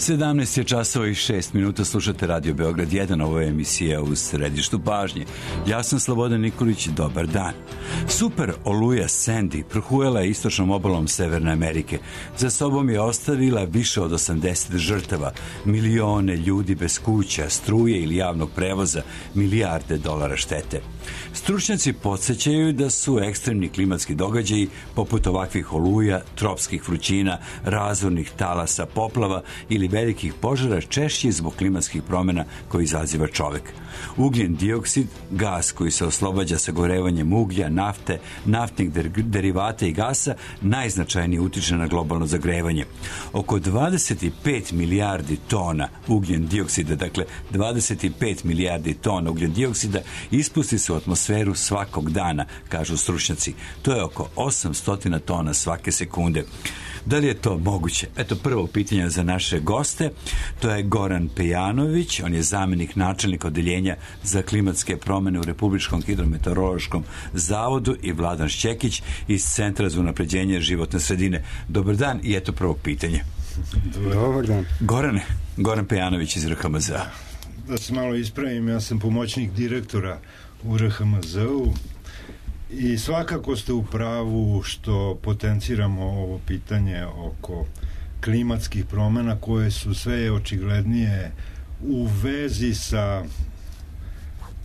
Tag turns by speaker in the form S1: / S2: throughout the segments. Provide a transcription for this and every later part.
S1: 17 je časova i 6 minuta, slušate Radio Beograd 1, ovo je emisija U središtu pažnje. Ja sam Slobodan Nikolić, dobar dan. Super oluja Sandy prohujala je istočnom obalom Severne Amerike. Za sobom je ostavila više od 80 žrtava, milione ljudi bez kuća, struje ili javnog prevoza, milijarde dolara štete. Stručnjaci podsjećaju da su ekstremni klimatski događaji poput ovakvih oluja, tropskih vrućina, razornih talasa, poplava ili velikih požara češći zbog klimatskih promjena koje izaziva čovek. Ugljen dioksid, gas koji se oslobađa sagorevanjem uglja, nafte, naftnih derivata i gasa, najznačajnije utiče na globalno zagrevanje. Oko 25 milijardi tona ugljen dioksida, dakle 25 milijardi tona ugljen dioksida ispusti se u atmosferu svakog dana, kažu stručnjaci. To je oko 800 tona svake sekunde. Da li je to moguće? Eto prvo pitanje za naše goste. To je Goran Pejanović, on je zamenik načelnika odeljenja za klimatske promjene u Republičkom hidrometeorološkom zavodu, i Vladan Šćekić iz Centra za unapređenje životne sredine. Dobar dan i eto prvo pitanje.
S2: Dobar dan.
S1: Goran Pejanović iz RHMZ-a.
S2: Da se malo ispravim, ja sam pomoćnik direktora u RHMZ-u i svakako ste u pravu što potenciramo ovo pitanje oko klimatskih promjena koje su sve očiglednije u vezi sa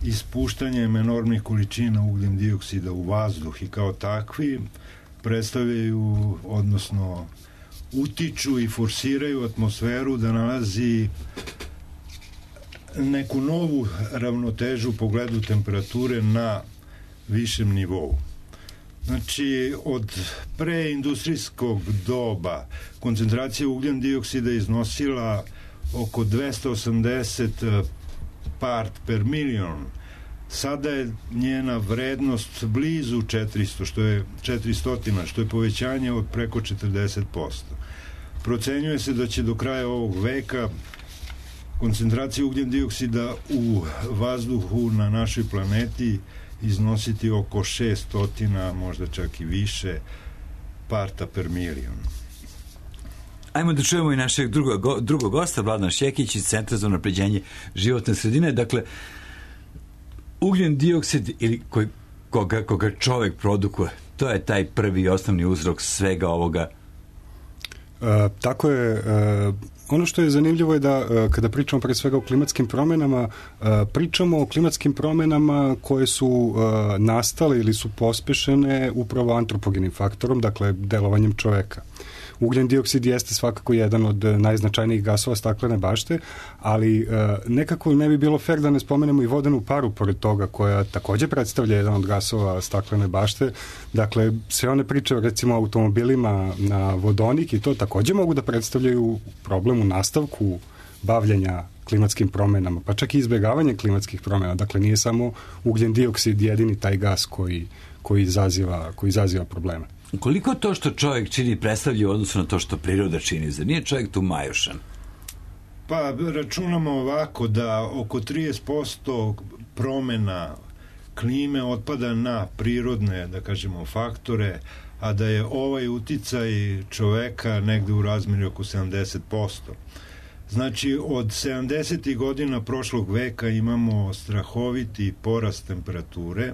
S2: ispuštanjem enormnih količina ugljen dioksida u vazduh i kao takvi predstavljaju, odnosno utiču i forsiraju atmosferu da nalazi neku novu ravnotežu u pogledu temperature na višem nivou. Znači, od preindustrijskog doba koncentracija ugljen dioksida iznosila oko 280 part per milion. Sada je njena vrednost blizu 400, što je povećanje od preko 40%. Procenjuje se da će do kraja ovog veka koncentracija ugljen dioksida u vazduhu na našoj planeti iznositi oko 600, možda čak i više, parta per milion.
S1: Ajmo da čujemo i našeg drugog gosta, Vladan Šćekić iz Centra za unapređenje životne sredine. Dakle, ugljen dioksid ili koga čovek produkuje, to je taj prvi i osnovni uzrok svega ovoga.
S3: Tako je. Ono što je zanimljivo je da kada pričamo pre svega o klimatskim promjenama, pričamo o klimatskim promjenama koje su nastale ili su pospešene upravo antropogenim faktorom, dakle delovanjem čoveka. Ugljen dioksid jeste svakako jedan od najznačajnijih gasova staklene bašte, ali nekako ne bi bilo fer da ne spomenemo i vodenu paru pored toga, koja također predstavlja jedan od gasova staklene bašte. Dakle, sve one priče recimo o automobilima na vodonik i to također mogu da predstavljaju problem u nastavku bavljenja klimatskim promjenama, pa čak i izbjegavanje klimatskih promjena. Dakle, nije samo ugljen dioksid jedini taj gas koji izaziva probleme.
S1: Koliko to što čovjek čini predstavlja u odnosu na to što priroda čini? Zar nije čovjek tu majušan?
S2: Pa računamo ovako da oko 30% promjena klime otpada na prirodne, da kažemo, faktore, a da je ovaj uticaj čoveka negde u razmjeri oko 70%. Znači, od 70. godina prošlog veka imamo strahoviti porast temperature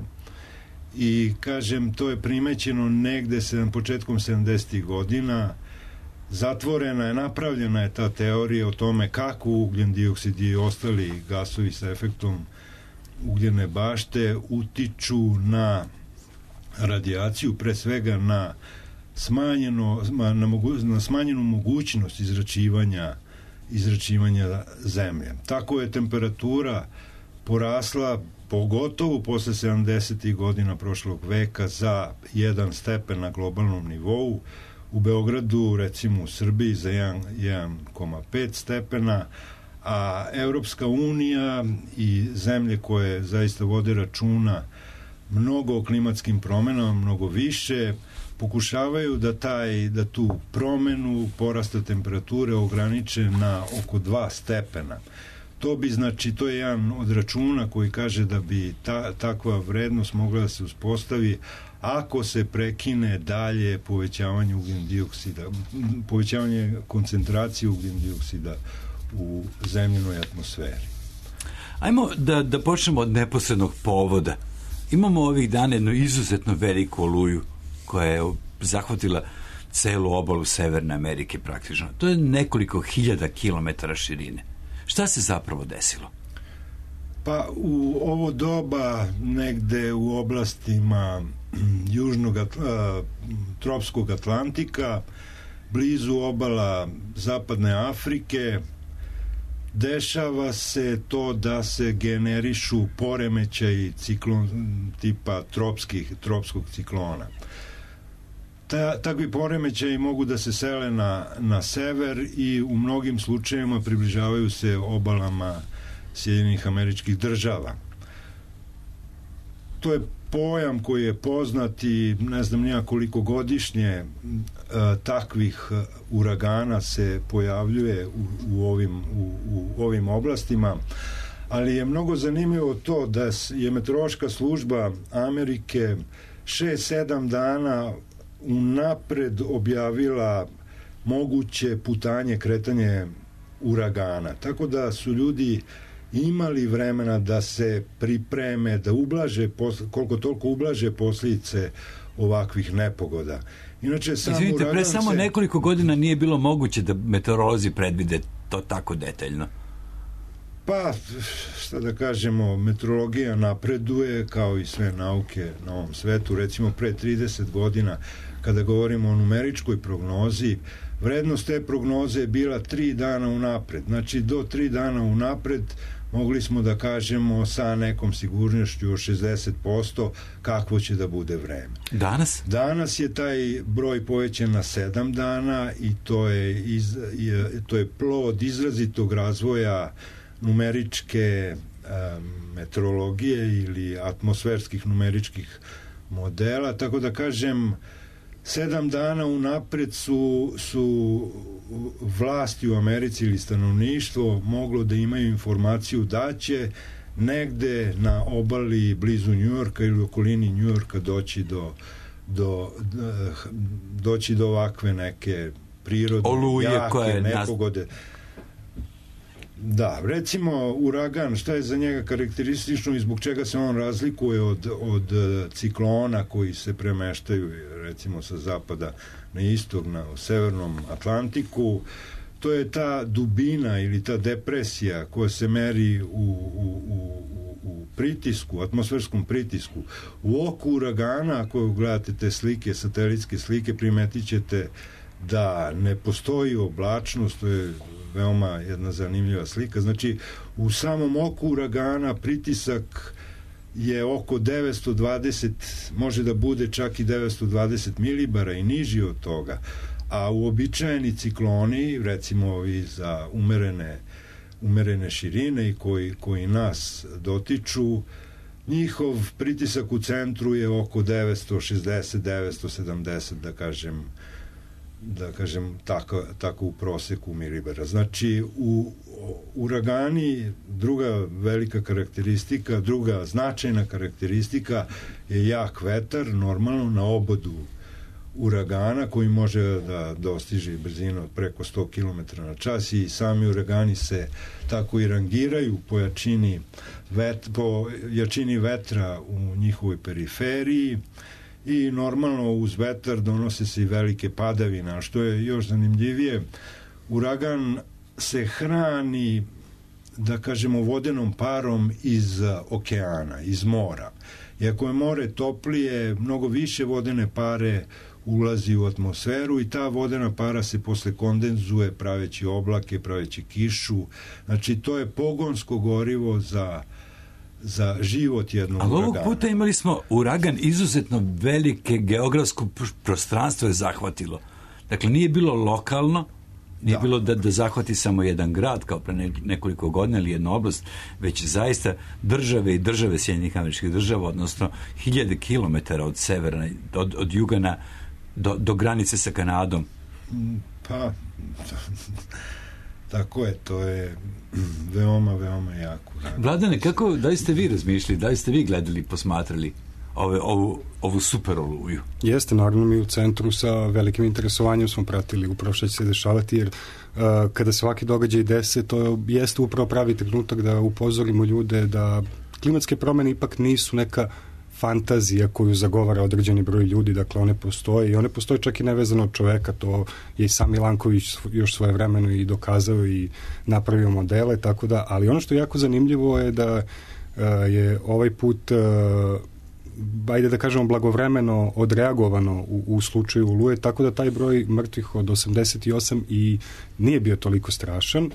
S2: i, kažem, to je primećeno negde početkom 70. godina. Napravljena je ta teorija o tome kako ugljen dioksid i ostali gasovi sa efektom ugljene bašte utiču na radijaciju, pre svega na smanjenu mogućnost izračivanja zemlje. Tako je temperatura porasla pogotovo posle 70. godina prošlog veka za 1 stepen na globalnom nivou. U Beogradu, recimo u Srbiji, za 1,5 stepena, a Evropska unija i zemlje koje zaista vode računa mnogo o klimatskim promjenama, mnogo više, pokušavaju da tu promenu porasta temperature ograniče na oko 2 stepena. To je jedan od računa koji kaže da bi takva vrednost mogla da se uspostavi ako se prekine dalje povećavanje ugljen dioksida, povećavanje koncentracije ugljen dioksida u zemljenoj atmosferi.
S1: Ajmo da počnemo od neposrednog povoda. Imamo ovih dana jednu izuzetno veliku oluju koja je zahvatila celu obalu Severne Amerike praktično. To je nekoliko hiljada kilometara širine. Šta se zapravo desilo?
S2: Pa u ovo doba negde u oblastima južnog tropskog Atlantika, blizu obala zapadne Afrike, dešava se to da se generišu poremećaji tipa tropskog ciklona. Takvi poremećaji mogu da se sele na sever i u mnogim slučajevima približavaju se obalama Sjedinjenih Američkih Država. To je pojam koji je poznat i ne znam nija koliko godišnje takvih uragana se pojavljuje u ovim oblastima, ali je mnogo zanimljivo to da je meteorološka služba Amerike 6-7 dana unapred objavila moguće putanje, kretanje uragana. Tako da su ljudi imali vremena da se pripreme, da ublaže, koliko toliko ublaže posljedice ovakvih nepogoda. Inače,
S1: izvinite, pre samo nekoliko godina nije bilo moguće da meteorolozi predvide to tako detaljno.
S2: Pa, šta da kažemo, meteorologija napreduje kao i sve nauke na ovom svetu. Recimo, pre 30 godina, kada govorimo o numeričkoj prognozi, vrednost te prognoze je bila 3 dana unapred. Znači, do 3 dana unapred mogli smo da kažemo sa nekom sigurnošću od 60% kakvo će da bude vreme.
S1: Danas?
S2: Danas je taj broj povećan na 7 dana i to je plod izrazitog razvoja numeričke meteorologije ili atmosferskih numeričkih modela, tako da kažem 7 dana unapred su vlasti u Americi ili stanovništvo moglo da imaju informaciju da će negde na obali blizu Njujorka ili okolini Njujorka doći do ovakve neke prirodne
S1: oluje,
S2: jake nepogode. Da, recimo uragan, šta je za njega karakteristično i zbog čega se on razlikuje od ciklona koji se premeštaju recimo sa zapada na istok, u severnom Atlantiku, to je ta dubina ili ta depresija koja se meri u pritisku, atmosferskom pritisku. U oku uragana, ako gledate te slike, satelitske slike, primetit ćete da ne postoji oblačnost, to je veoma jedna zanimljiva slika. Znači, u samom oku uragana pritisak je oko 920, može da bude čak i 920 milibara i niži od toga, a uobičajeni cikloni, recimo ovi za umerene širine i koji nas dotiču, njihov pritisak u centru je oko 960, 970, da kažem tako u proseku milibara. Znači, u uragani druga velika karakteristika, druga značajna karakteristika je jak vetar, normalno na obodu uragana koji može da dostiže brzinu od preko 100 km na čas i sami uragani se tako i rangiraju po jačini vetra u njihovoj periferiji i normalno uz vetar donose se i velike padavine, a što je još zanimljivije, uragan se hrani, da kažemo, vodenom parom iz okeana, iz mora. Iako je more toplije, mnogo više vodene pare ulazi u atmosferu i ta vodena para se posle kondenzuje praveći oblake, praveći kišu. Znači, to je pogonsko gorivo za život jednog uragana.
S1: Ali ovog puta imali smo uragan izuzetno velike geografsko prostranstvo je zahvatilo. Dakle, nije bilo lokalno, nije bilo da zahvati samo jedan grad kao pre nekoliko godina ili jednu oblast, već zaista države i države Sjedinjenih Američkih Država, odnosno hiljade kilometara od severa, od juga do granice sa Kanadom.
S2: Pa, tako je, to je veoma, veoma jako.
S1: Vladane, da li ste vi razmišljali, da li ste vi gledali, posmatrali ovu super oluju.
S3: Jeste, naravno mi u centru sa velikim interesovanjem smo pratili upravo što će se dešavati, jer kada se ovaki događaj dese, to jeste upravo pravi trenutak da upozorimo ljude da klimatske promene ipak nisu neka fantazija koju zagovara određeni broj ljudi, dakle one postoje i one postoje čak i nevezano od čoveka, to je i sam Milanković još svojevremeno i dokazao i napravio modele, tako da, ali ono što je jako zanimljivo je da je ovaj put ajde da kažemo blagovremeno odreagovano u slučaju Oluje, tako da taj broj mrtvih od 88 i nije bio toliko strašan,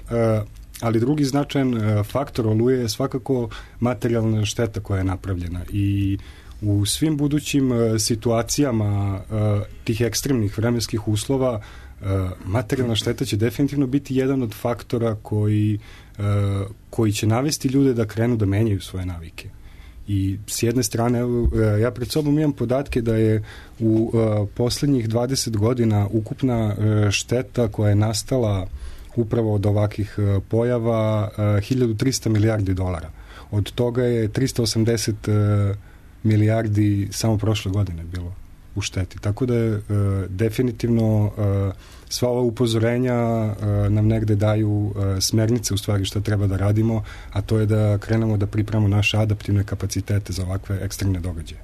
S3: ali drugi značajan faktor Oluje je svakako materijalna šteta koja je napravljena i u svim budućim situacijama tih ekstremnih vremenskih uslova materijalna šteta će definitivno biti jedan od faktora koji će navesti ljude da krenu da menjaju svoje navike. I s jedne strane, ja pred sobom imam podatke da je u poslednjih 20 godina ukupna šteta koja je nastala upravo od ovakvih pojava 1300 milijardi dolara. Od toga je 380 milijardi samo prošle godine bilo u šteti. Tako da je definitivno sva ova upozorenja nam negde daju smernice u stvari šta treba da radimo, a to je da krenemo da pripremamo naše adaptivne kapacitete za ovakve ekstremne događaje.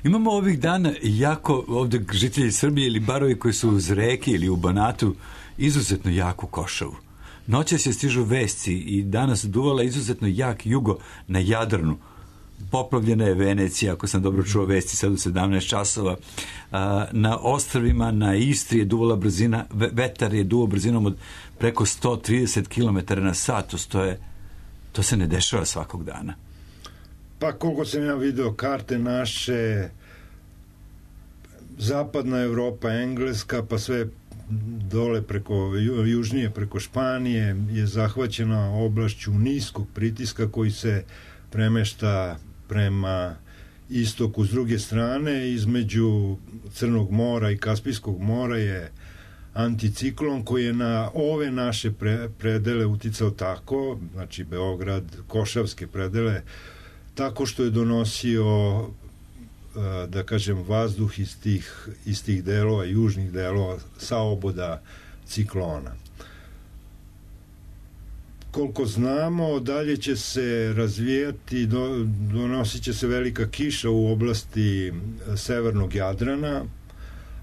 S1: Imamo ovih dana jako ovde žitelji Srbije ili barovi koji su uz reke ili u Banatu izuzetno jaku košavu. Noćas se stižu vesti i danas duvala izuzetno jak jugo na Jadranu. Poplavljena je Venecija, ako sam dobro čuo vesti, sad u 17 časova. Na ostrvima, na Istri je duvala brzina, vetar je duvao brzinom od preko 130 km na sat. To se ne dešava svakog dana.
S2: Pa koliko sam ja video karte naše, zapadna Evropa, Engleska, pa sve dole južnije preko Španije je zahvaćena oblašću niskog pritiska koji se premešta prema istoku. S druge strane, između Crnog mora i Kaspijskog mora je anticiklon koji je na ove naše predele uticao tako, znači Beograd, Košavske predele, tako što je donosio, da kažem, vazduh iz tih delova, južnih delova, sa oboda ciklona. Koliko znamo, dalje će se razvijati, donosit će se velika kiša u oblasti severnog Jadrana,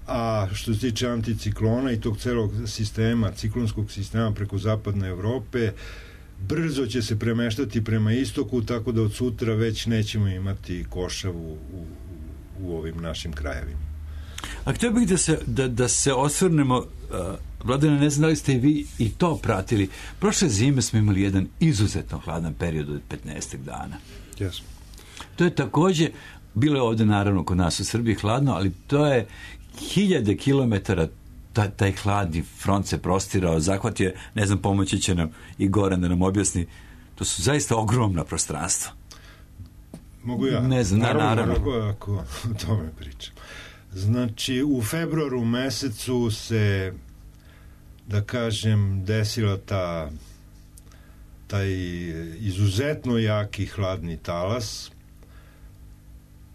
S2: a što se tiče anticiklona i tog celog sistema, ciklonskog sistema preko zapadne Evrope, brzo će se premeštati prema istoku, tako da od sutra već nećemo imati košavu u ovim našim krajevima.
S1: A htio bih da se osvrnemo, Vladane, ne znam da li ste i vi i to pratili. Prošle zime smo imali jedan izuzetno hladan period od 15 dana.
S3: Yes.
S1: To je takođe, bilo je ovde naravno kod nas u Srbiji hladno, ali to je 1000 kilometara taj hladni front se prostirao, zahvatio, ne znam, pomoći će nam i Goran da nam objasni, to su zaista ogromna prostranstva.
S2: Mogu ja?
S1: Ne znam, naravno.
S2: Ako o tome pričam. Znači, u februaru mesecu se, da kažem, desila taj izuzetno jaki hladni talas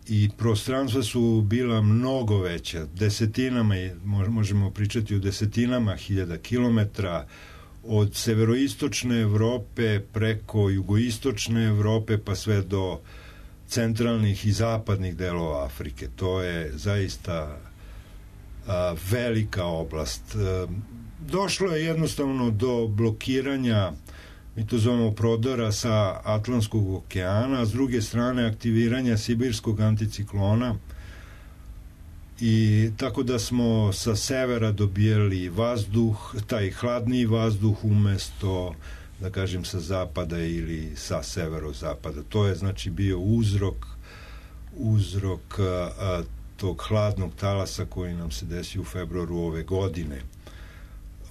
S2: i prostranstva su bila mnogo veća, desetinama, možemo pričati o desetinama hiljada kilometra, od severoistočne Evrope preko jugoistočne Evrope pa sve do centralnih i zapadnih delova Afrike. To je zaista velika oblast. Došlo je jednostavno do blokiranja, mi to zovemo prodora sa Atlantskog okeana, a s druge strane aktiviranja sibirskog anticiklona, i tako da smo sa severa dobijali vazduh, taj hladniji vazduh umesto, da kažem, sa zapada ili sa severozapada. To je znači bio uzrok tog hladnog talasa koji nam se desio u februaru ove godine.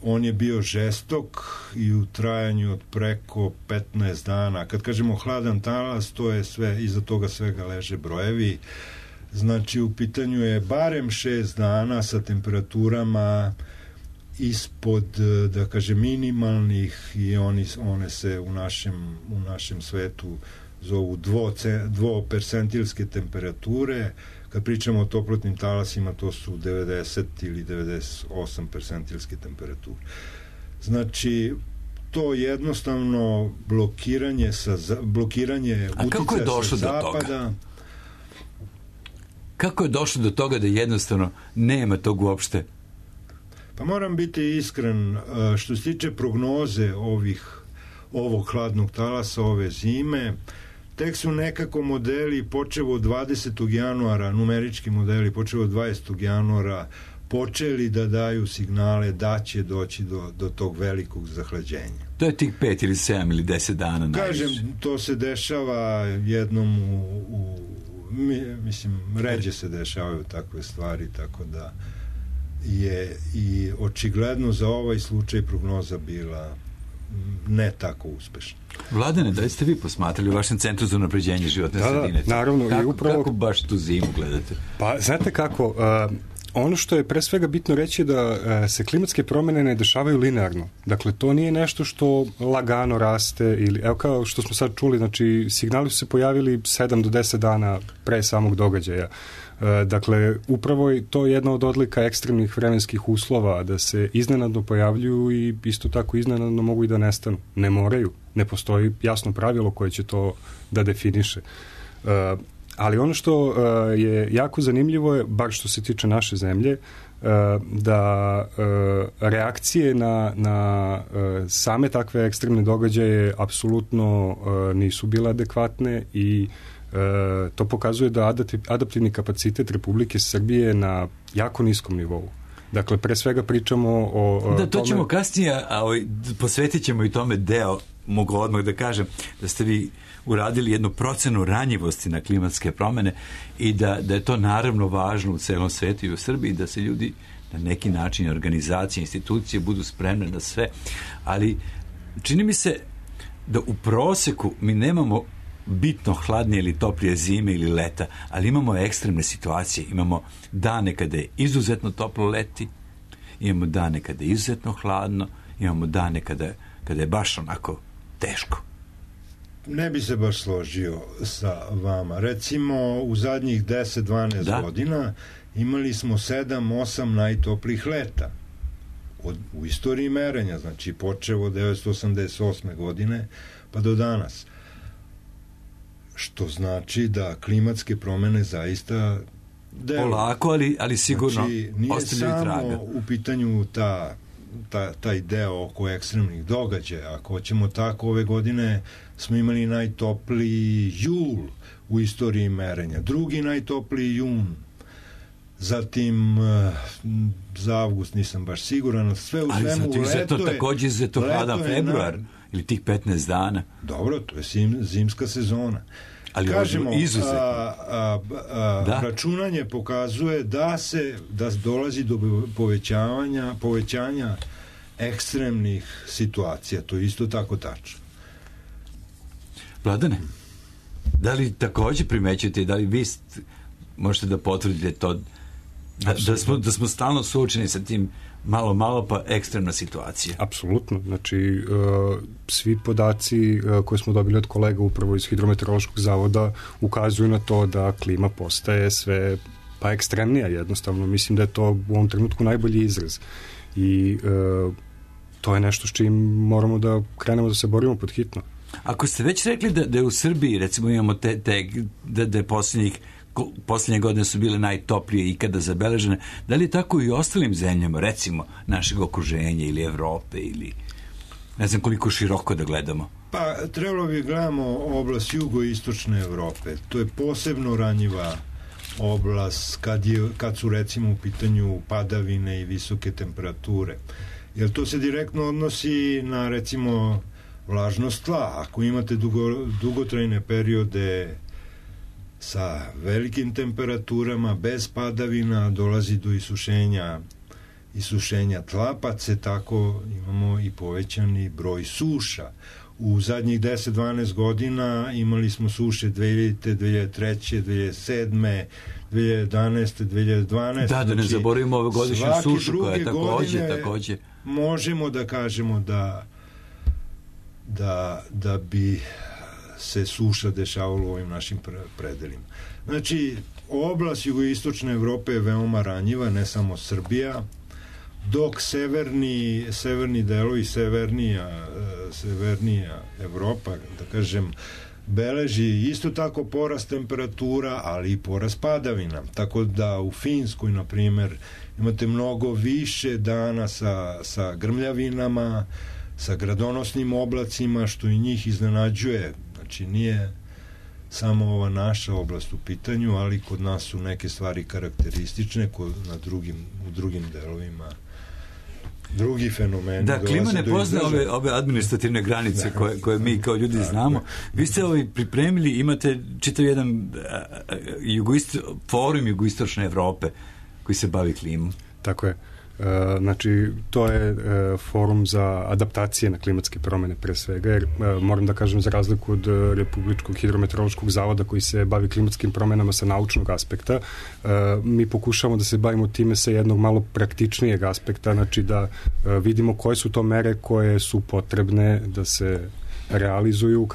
S2: On je bio žestok i u trajanju od preko 15 dana. Kad kažemo hladan talas, to je sve, iza toga svega leže brojevi. Znači, u pitanju je barem 6 dana sa temperaturama ispod, da kažem, minimalnih, i one se u našem svetu zovu dvopercentilske temperature. Kad pričamo o toplotnim talasima, to su 90 ili 98 percentilske temperature. Znači, to jednostavno blokiranje uticaja sa zapada.
S1: Kako je došlo do toga da jednostavno nema tog uopšte?
S2: Pa moram biti iskren, što se tiče prognoze ovog hladnog talasa, ove zime, tek su nekako modeli počevo od 20. januara, numerički modeli počevo od 20. januara počeli da daju signale da će doći do tog velikog zahlađenja.
S1: To je tih 5 ili 7 ili 10 dana najviše.
S2: Kažem, to se dešava jednom mislim, ređe se dešavaju takve stvari, tako da je i očigledno za ovaj slučaj prognoza bila ne tako uspešna.
S1: Vladane, da li ste vi posmatrali u vašem centru za unapređenje životne sredine?
S3: Da, naravno.
S1: Kako baš tu zimu gledate?
S3: Pa, znate kako, ono što je pre svega bitno reći da se klimatske promene ne dešavaju linearno. Dakle, to nije nešto što lagano raste ili, evo kao što smo sad čuli, znači signali su se pojavili 7 do 10 dana pre samog događaja. Dakle, upravo je to jedna od odlika ekstremnih vremenskih uslova, da se iznenadno pojavljuju i isto tako iznenadno mogu i da nestanu. Ne moraju, ne postoji jasno pravilo koje će to da definiše. Ali ono što je jako zanimljivo je, bar što se tiče naše zemlje, da reakcije na same takve ekstremne događaje apsolutno nisu bile adekvatne i to pokazuje da adaptivni kapacitet Republike Srbije na jako niskom nivou. Dakle, pre svega pričamo o
S1: da, to ćemo kasnije, a posvetit ćemo i tome deo, mogu odmah da kažem, da ste vi uradili jednu procenu ranjivosti na klimatske promene i da je to naravno važno u celom svetu i u Srbiji, da se ljudi na neki način, organizacije, institucije budu spremne na sve, ali čini mi se da u proseku mi nemamo bitno hladnije ili toplije zime ili leta, ali imamo ekstremne situacije. Imamo dane kada je izuzetno toplo leti, imamo dane kada je izuzetno hladno, imamo dane kada je baš onako teško.
S2: Ne bi se baš složio sa vama. Recimo, u zadnjih 10-12 godina imali smo 7-8 najtoplijih leta u istoriji merenja, znači počevo od 1988. godine pa do danas. Što znači da klimatske promene zaista deluju.
S1: Polako, ali sigurno
S2: znači,
S1: ostavljaju traga.
S2: Nije samo u pitanju taj deo oko ekstremnih događaja. Ako hoćemo tako, ove godine smo imali najtopliji jul u istoriji merenja. Drugi najtopliji jun. Zatim za avgust nisam baš siguran. Sve u svemu leto je...
S1: Takođe izuzetno hladan februar ili tih 15 dana.
S2: Dobro, to je zimska sezona.
S1: Ali
S2: kažemo, računanje pokazuje da dolazi do povećanja ekstremnih situacija. To je isto tako tačno.
S1: Vladane, da li takođe primećujete, da li vi možete da potvrdite to da smo stalno suočeni sa tim malo pa ekstremna situacija?
S3: Apsolutno. Znači, svi podaci koje smo dobili od kolega upravo iz Hidrometeorološkog zavoda ukazuju na to da klima postaje sve pa ekstremnija jednostavno. Mislim da je to u ovom trenutku najbolji izraz. I to je nešto s čim moramo da krenemo da se borimo pod hitno.
S1: Ako ste već rekli da je u Srbiji, recimo, imamo da je poslednje godine su bile najtoplije ikada zabeležene, da li je tako i u ostalim zemljama, recimo, našeg okruženja ili Evrope ili ne znam koliko široko da gledamo?
S2: Pa, trebalo bi gledamo oblast jugoistočne Evrope. To je posebno ranjiva oblast kad su recimo u pitanju padavine i visoke temperature. Jer to se direktno odnosi na recimo vlažnost tla. Ako imate dugotrajne periode sa velikim temperaturama, bez padavina, dolazi do isušenja tla, pa se tako imamo i povećani broj suša. U zadnjih 10-12 godina imali smo suše 2000, 2003, 2007, 2011, 2012.
S1: Da ne zaboravimo ove godišnju sušu koja je takođe.
S2: Možemo da kažemo da bi se suša dešavala u ovim našim predelima. Znači, oblast jugoistočne Evrope je veoma ranjiva, ne samo Srbija, dok severni delovi, severnija Evropa, da kažem, beleži isto tako porast temperatura, ali i porast padavina. Tako da u Finskoj, na primer, imate mnogo više dana sa grmljavinama, sa gradonosnim oblacima, što i njih iznenađuje. Znači, nije samo ova naša oblast u pitanju, ali kod nas su neke stvari karakteristične, u drugim delovima drugi fenomeni.
S1: Da, klima ne pozna ove administrativne granice koje mi kao ljudi znamo. Vi ste pripremili, imate čitav jedan forum jugoistočne Evrope koji se bavi klimom.
S3: Tako je. Znači, to je forum za adaptacije na klimatske promene pre svega, jer moram da kažem, za razliku od Republičkog hidrometeorološkog zavoda koji se bavi klimatskim promenama sa naučnog aspekta, mi pokušavamo da se bavimo time sa jednog malo praktičnijeg aspekta, znači da vidimo koje su to mere koje su potrebne da se realizuju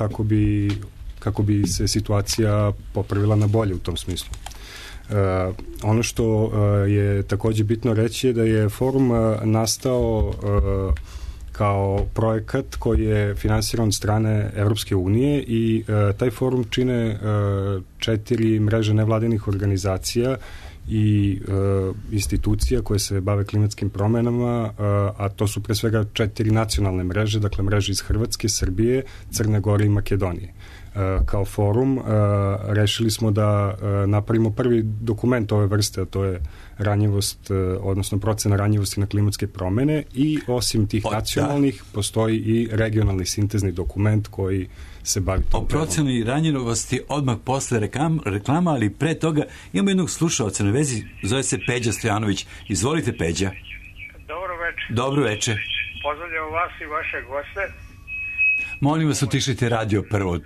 S3: kako bi se situacija popravila na bolje u tom smislu. Ono što je takođe bitno reći je da je forum nastao kao projekat koji je finansiran od strane Evropske unije i taj forum čine 4 mreže nevladinih organizacija i institucija koje se bave klimatskim promenama, a to su pre svega 4 nacionalne mreže, dakle mreže iz Hrvatske, Srbije, Crne Gore i Makedonije. Kao forum rešili smo da napravimo prvi dokument ove vrste, a to je ranjivost, odnosno procena ranjivosti na klimatske promene, i osim tih nacionalnih postoji i regionalni sintezni dokument koji se bavi tom. O
S1: proceni ranjivosti odmah posle reklama, ali pre toga imamo jednog slušaoca na vezi, zove se Peđa Stojanović. Izvolite, Peđa.
S4: Dobro večer.
S1: Dobro večer.
S4: Pozdravljam vas i vaše goste.
S1: Molim vas, utišite radio prvo.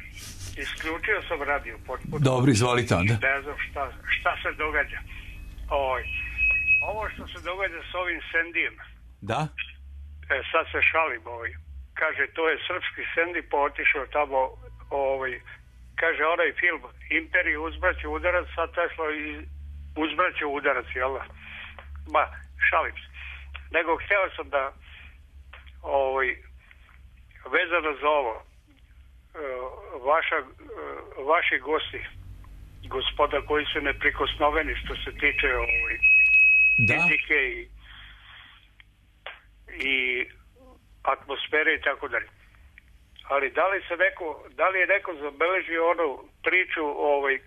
S4: Isključio sam radio potpuno.
S1: Dobro, izvolite onda.
S4: Ne znam šta se događa. Ovo što se događa s ovim Sendijem.
S1: Da?
S4: Sad se šalim Kaže, to je srpski Sendi, pa otišao tamo, kaže, onaj film Imperij uzbraće udarac, sad Tesla uzbraće udarac, jel da? Ma, šalim se. Nego hteo sam da vezano za ovo, vaši gosti, gospoda koji su neprikosnoveni što se tiče fizike i atmosfere i tako dalje. Ali da li je neko zabeležio onu priču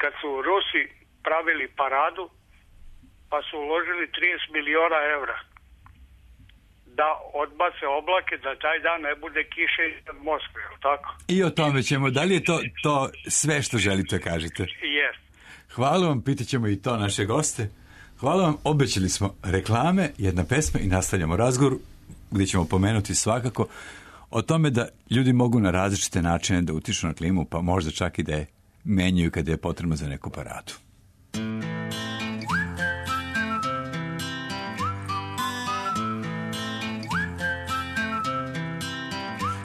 S4: kad su Rusi pravili paradu pa su uložili 30 miliona evra da odbace oblake, da taj dan ne bude kiše iznad Moskve, je li tako?
S1: I o tome ćemo. Da li je to sve što želite kažete?
S4: Yes.
S1: Hvala vam, pitaćemo i to naše goste. Hvala vam, obećali smo reklame, jedna pesma i nastavljamo razgovor gdje ćemo pomenuti svakako o tome da ljudi mogu na različite načine da utiču na klimu, pa možda čak i da je menjaju kada je potrebno za neku paradu.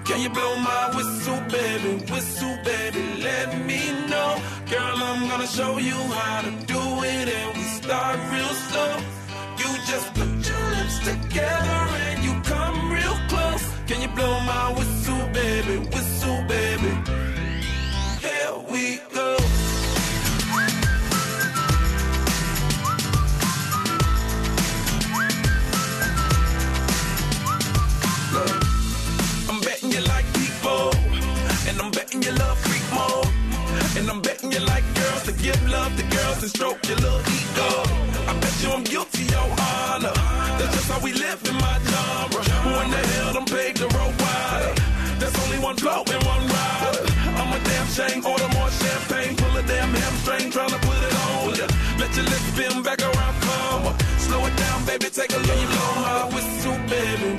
S5: Can you blow my whistle, baby, let me know. Girl, I'm gonna show you how to do it, and we start real slow. You just put your lips together and you come real close. Can you blow my whistle, baby, here we go. You love freak mode, and I'm betting you like girls to give love to girls and stroke your little ego. I bet you I'm guilty, your honor. That's just how we live in my genre. Who in the hell done paved the road wider? There's only one blow and one rider. I'm a damn shame, order more champagne, pull a damn hamstring, tryna put it on ya. Let your lips spin back around, come on. Slow it down, baby, take a look. You blow my whistle, baby,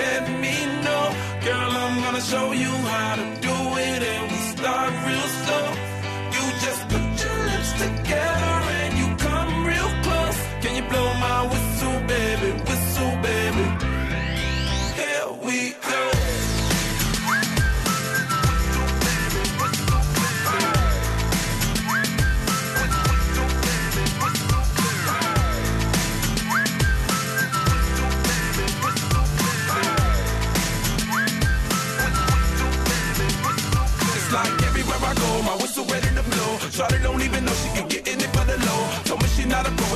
S5: let me know. Girl, I'm gonna show you how to do it, and we start real slow. You just put your lips together and you come real close. Can you blow my whistle, baby, here we go.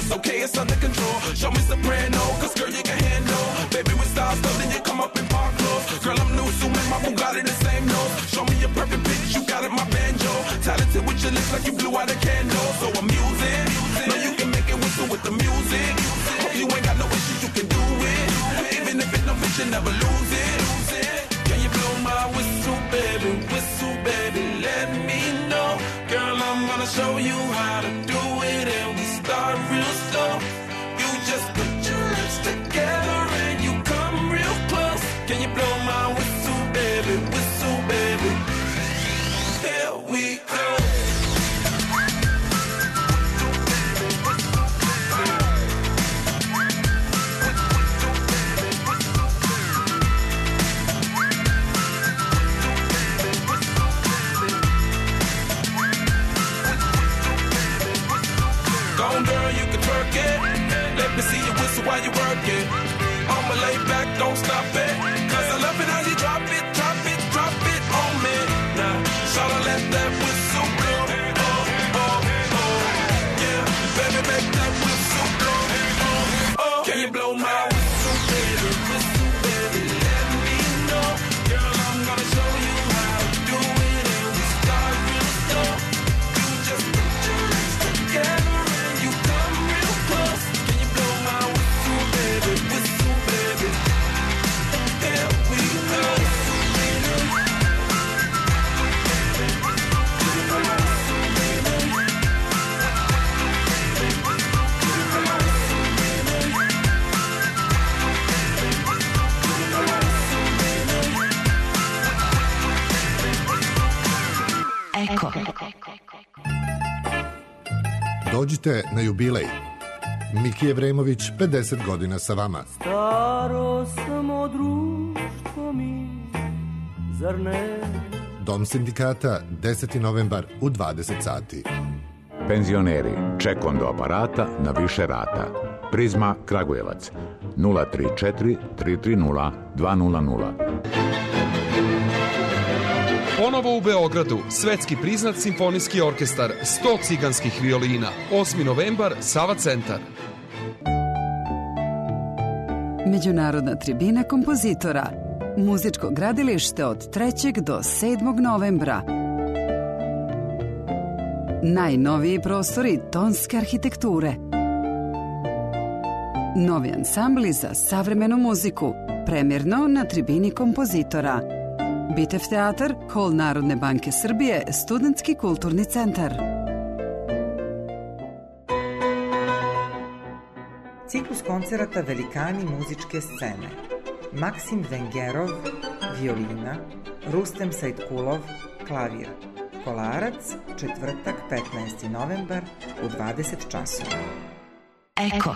S5: it's okay, it's under control. Show me soprano, cause girl, you can handle. Baby, with style stuff, then you come up in park clothes. Girl, I'm new, so make my Bugatti the same nose. Show me your perfect pitch, you got it, my banjo. Talented with your lips like you blew out a candle. So I'm using, know you can make it whistle with the music. Hope you ain't got no issues, you can do it. Even if it's no bitch, you never lose it. Can you blow my whistle, baby, let me know. Girl, I'm gonna show you how to do it, and we start real slow. You just put your lips together and you come real close. Can you blow my whistle, baby, here we go. Let me see you whistle while you work it. I'ma lay back, don't stop it. Cause I love it how you drop it, drop it, drop it on me. Now, shawty, let that whistle blow. Oh, oh, oh. Yeah, baby, make that whistle blow. Oh, oh. Can you blow my whistle, baby, let me know. Girl, I'm gonna show you how to do it, and we start real slow. You just put your lips together and you come real close. Can you blow my whistle, baby, here we go.
S6: Eko.
S7: Dođite na jubilej. Miki Evremović, 50 godina sa vama.
S8: Staro samo društvo mi, zar ne?
S7: Dom sindikata, 10. novembar u 20 sati.
S9: Penzioneri, ček on do aparata na više rata. Prizma Kragujevac, 034 330 200.
S10: Ponovo u Beogradu, svetski priznat simfonijski orkestar, 100 ciganskih violina, 8. novembar, Sava centar.
S11: Međunarodna tribina kompozitora, muzičko gradilište od 3. do 7. novembra. Najnoviji prostori tonske arhitekture. Novi ansambli za savremenu muziku, premjerno na tribini kompozitora. Bitev teatar, Hol Narodne banke Srbije, Studentski kulturni centar.
S12: Ciklus koncerata Velikani muzičke scene. Maksim Vengerov, violina, Rustem Sajtkulov, klavir. Kolarac, četvrtak, 15. novembar u 20 časova.
S6: Eko.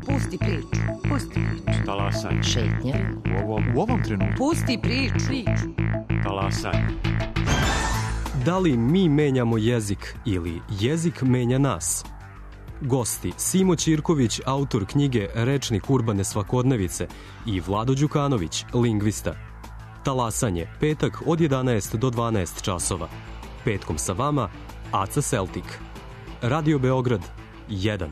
S13: Pusti priču. Pusti priču.
S14: Talasaj.
S13: Šetnja.
S14: U ovom trenutku.
S13: Pusti priču.
S14: Talasaj.
S15: Da li mi menjamo jezik ili jezik menja nas? Gosti Simo Ćirković, autor knjige Rečnik urbane svakodnevice, i Vlado Đukanović, lingvista. Talasanje, petak od 11 do 12 časova. Petkom sa vama, Aca Celtic. Radio Beograd 1.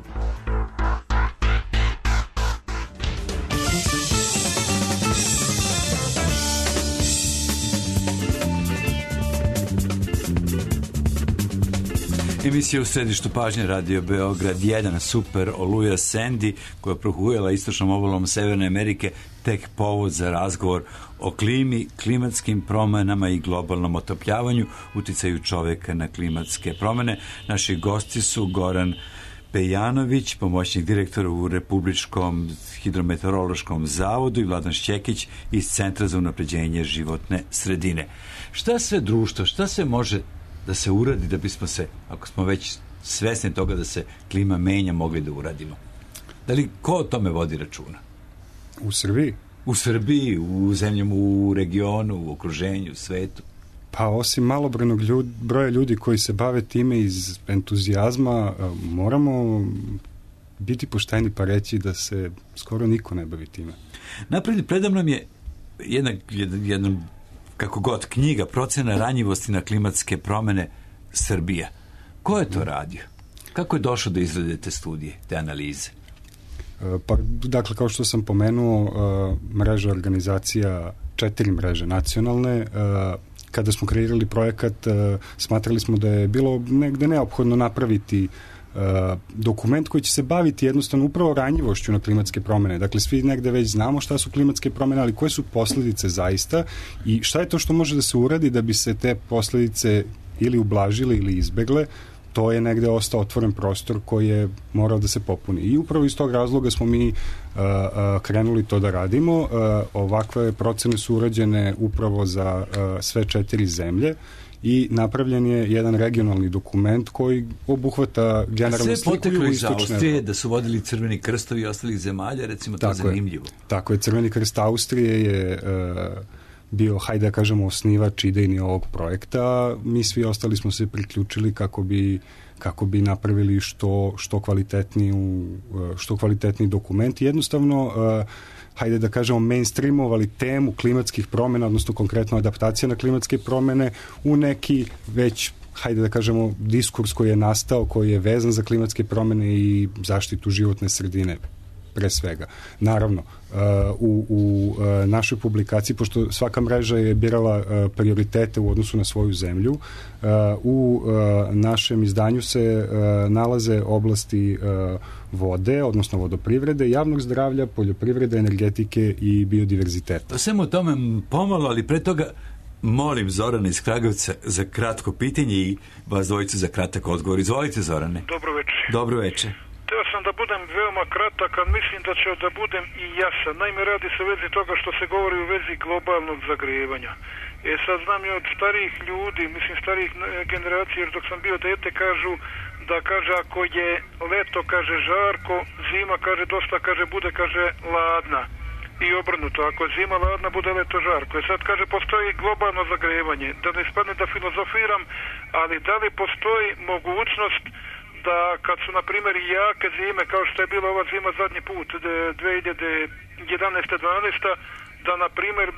S1: Emisija u središtu pažnje Radio Beograd 1, Super Oluja Sandy, koja je prohujala istočnom obalom Severne Amerike, tek povod za razgovor o klimi, klimatskim promenama i globalnom otopljavanju, uticaju čoveka na klimatske promene. Naši gosti su Goran Pejanović, pomoćnik direktora u Republičkom hidrometeorološkom zavodu, i Vladan Šćekić iz Centra za unapređenje životne sredine. Šta sve društvo, šta se može da se uradi da bismo se, ako smo već svesni toga da se klima menja, mogli da uradimo? Da li ko o tome vodi računa?
S3: U Srbiji?
S1: U Srbiji, u zemljama, u regionu, u okruženju, u svetu?
S3: Pa osim malobrojnog broja ljudi koji se bave time iz entuzijazma, moramo biti pošteni pa reći da se skoro niko ne bavi time.
S1: Napred predamnom je jedna kako god, knjiga Procena ranjivosti na klimatske promene Srbija, Ko je to radio? Kako je došlo da izrade te studije, te analize?
S3: Pa, dakle, kao što sam pomenuo, mreža organizacija, 4 mreže nacionalne, kada smo kreirali projekat, smatrali smo da je bilo negde neophodno napraviti dokument koji će se baviti jednostavno upravo ranjivošću na klimatske promene. Dakle, svi negde već znamo šta su klimatske promene, ali koje su posledice zaista i šta je to što može da se uradi da bi se te posledice ili ublažile ili izbegle. To je negde ostao otvoren prostor koji je morao da se popuni. I upravo iz tog razloga smo mi krenuli to da radimo. Ovakve procene su urađene upravo za sve 4 zemlje i napravljen je jedan regionalni dokument koji obuhvata generalnu sliku
S1: istočne. Sve poteklo iz Austrije,
S3: Evrope.
S1: da su vodili Crveni krstovi i ostalih zemalja, recimo to je zanimljivo.
S3: Tako je, Crveni krst Austrije je bio, hajde da kažemo, osnivač idejni ovog projekta. Mi svi ostali smo se priključili kako bi napravili što kvalitetniji dokument. Jednostavno, hajde da kažemo, mainstreamovali temu klimatskih promjena, odnosno konkretno adaptacija na klimatske promjene u neki već, hajde da kažemo, diskurs koji je nastao, koji je vezan za klimatske promjene i zaštitu životne sredine pre svega. Naravno, u našoj publikaciji, pošto svaka mreža je birala prioritete u odnosu na svoju zemlju, u našem izdanju se nalaze oblasti vode, odnosno vodoprivrede, javnog zdravlja, poljoprivrede, energetike i biodiverziteta.
S1: Svemu o tome pomalo, ali pre toga molim Zorana iz Kragujevca za kratko pitanje i vas dvojicu za kratak odgovor. Izvolite, Zorane.
S16: Dobro večer.
S1: Dobro večer.
S16: Teo sam da budem veoma kratak, a mislim da ću da budem i jasan. Naime, radi se u vezi toga što se govori u vezi globalnog zagrevanja. Sad znam i od starijih ljudi, mislim starijih generacija, jer dok sam bio dete, kažu da, kaže, ako je leto, kaže, žarko, zima, kaže, dosta, kaže, bude, kaže, ladna. I obrnuto, ako je zima ladna, bude leto žarko. Sad, kaže, postoji globalno zagrevanje. Da ne ispadne da filozofiram, ali da li postoji mogućnost da kad su, na primjer, jake zime, kao što je bila ova zima zadnji put, 2011-12, da, na primjer,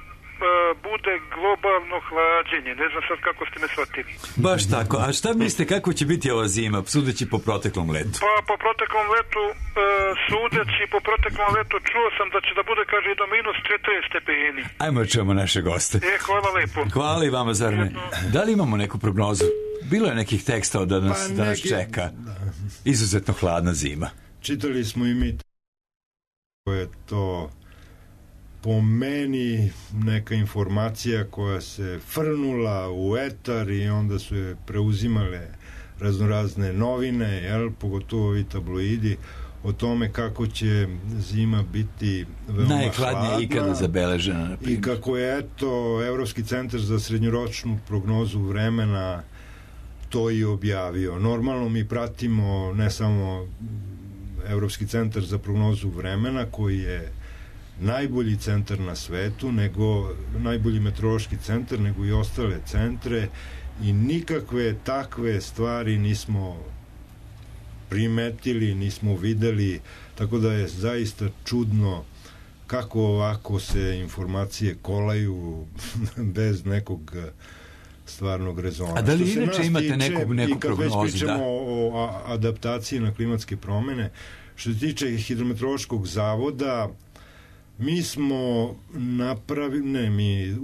S16: bude globalno hlađenje. Ne znam sad kako ste me shvatili.
S1: Baš tako. A šta mislite, kako će biti ova zima, sudeći po proteklom letu?
S16: Pa, po proteklom letu, sudeći po proteklom letu, čuo sam da će da bude, kaže, i do minus 40 stepeni.
S1: Ajmo čujemo naše goste.
S16: Hvala lepo.
S1: Hvala i vama, Zarane. Da li imamo neku prognozu? Bilo je nekih tekstova da nas čeka izuzetno hladna zima.
S2: Čitali smo i mi je to po meni neka informacija koja se frnula u etar i onda su je preuzimale raznorazne novine, pogotovo ovi tabloidi, o tome kako će zima biti veoma
S1: najhladnija ikada zabeležena.
S2: I kako je, Evropski centar za srednjoročnu prognozu vremena to i objavio. Normalno mi pratimo ne samo Evropski centar za prognozu vremena, koji je najbolji centar na svetu, nego najbolji meteorološki centar, nego i ostale centre, i nikakve takve stvari nismo primetili, nismo videli, tako da je zaista čudno kako ovako se informacije kolaju bez nekog stvarnog rezona.
S1: A da li inače imate neku prognozu?
S2: Kad već pričamo o adaptaciji na klimatske promene, što se tiče Hidrometeorološkog zavoda, mi smo napravili,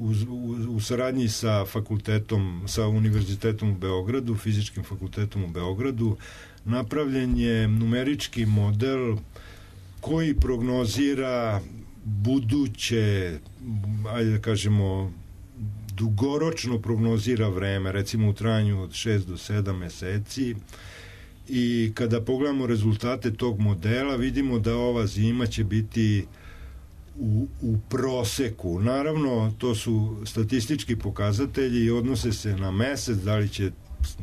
S2: u saradnji sa fakultetom, sa Univerzitetom u Beogradu, Fizičkim fakultetom u Beogradu, napravljen je numerički model koji prognozira buduće, ajde da kažemo, dugoročno prognozira vreme, recimo u trajanju od 6 do 7 meseci, i kada pogledamo rezultate tog modela, vidimo da ova zima će biti u proseku. Naravno, to su statistički pokazatelji i odnose se na mesec, da li će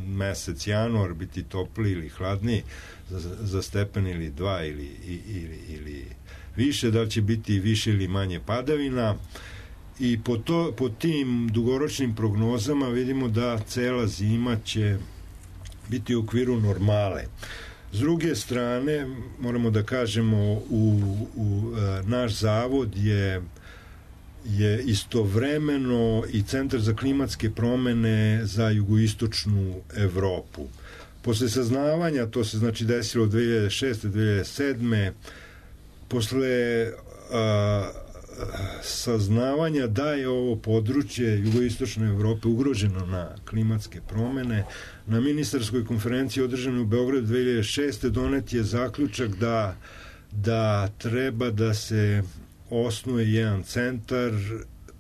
S2: mesec januar biti topliji ili hladniji za stepen ili 2 ili više, da li će biti više ili manje padavina, i po tim dugoročnim prognozama vidimo da cela zima će biti u okviru normale. S druge strane, moramo da kažemo, naš zavod je istovremeno i Centar za klimatske promene za jugoistočnu Evropu. Posle saznavanja, to se znači desilo 2006. 2007. Posle saznavanja da je ovo područje jugoistočne Evrope ugroženo na klimatske promene, na ministarskoj konferenciji održanoj u Beogradu 2006. donet je zaključak da treba da se osnuje jedan centar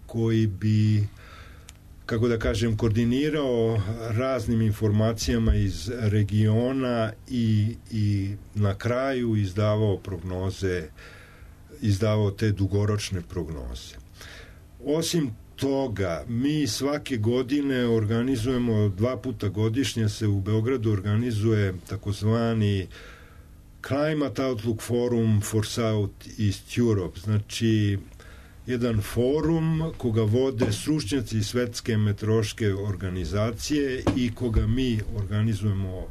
S2: koji bi, kako da kažem, koordinirao raznim informacijama iz regiona i na kraju izdavao prognoze, izdavao te dugoročne prognoze. Osim toga, mi svake godine organizujemo, 2 puta godišnje se u Beogradu organizuje takozvani Climate Outlook Forum for South East Europe, znači jedan forum koga vode stručnjaci iz Svetske meteorološke organizacije i koga mi organizujemo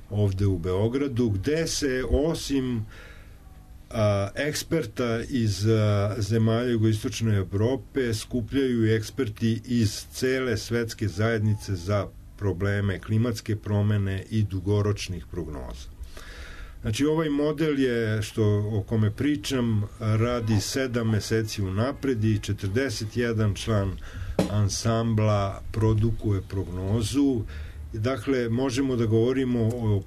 S2: ovde u Beogradu, gde se osim eksperta iz zemalja jugoistočne Evrope skupljaju i eksperti iz cele svetske zajednice za probleme klimatske promene i dugoročnih prognoza. Znači, ovaj model je, o kome pričam, radi 7 meseci unapred i 41 član ansambla produkuje prognozu. Dakle, možemo da govorimo o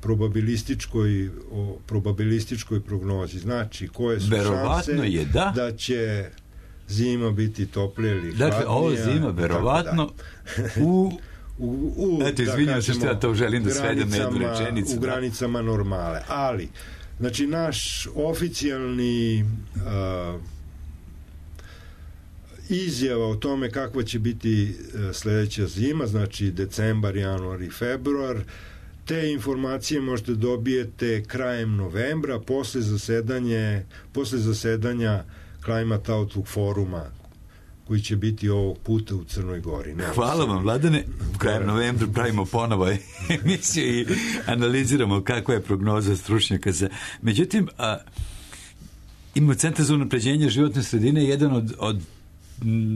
S2: probabilističkoj prognozi. Znači, koje su šanse da će zima biti toplija ili hladnija.
S1: Dakle, ovo zima verovatno eto, izvinjam se što ja to želim da svedem na jednu rečenicu.
S2: U granicama normale. Ali, znači, naš oficijalni izjava o tome kakva će biti sledeća zima, znači decembar, januar i februar, te informacije možete dobijete krajem novembra posle zasedanja Climate Outlook foruma koji će biti ovog puta u Crnoj Gori.
S1: Hvala vam, Vladane. U krajem novembra pravimo ponovo emisiju i analiziramo kakva je prognoza stručnjaka. Međutim, imamo Centar za unapređenje životne sredine,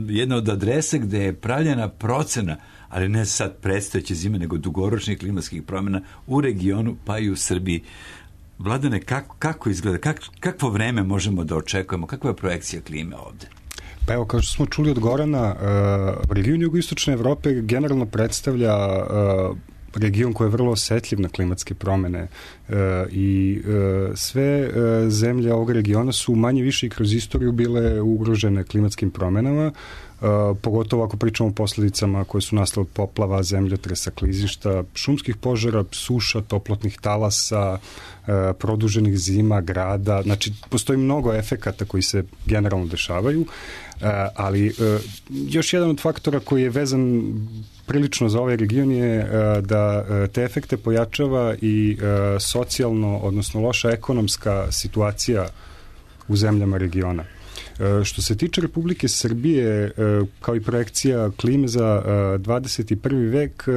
S1: jedna od adresa gde je pravljena procena, ali ne sad predstojeće zime, nego dugoročnih klimatskih promjena u regionu, pa i u Srbiji. Vladane, kako izgleda, kakvo vreme možemo da očekujemo, kakva je projekcija klime ovde?
S3: Pa evo, kao što smo čuli od Gorana, region jugoistočne Evrope generalno predstavlja region koji je vrlo osetljiv na klimatske promene i sve zemlje ovog regiona su manje više i kroz istoriju bile ugrožene klimatskim promenama, pogotovo ako pričamo o posledicama koje su nastale od poplava, zemljotresa, klizišta, šumskih požara, suša, toplotnih talasa, produženih zima, grada. Znači, postoji mnogo efekata koji se generalno dešavaju, ali još jedan od faktora koji je vezan prilično za ovaj region je da te efekte pojačava i socijalno, odnosno loša ekonomska situacija u zemljama regiona. Što se tiče Republike Srbije, kao i projekcija klime za 21. vek,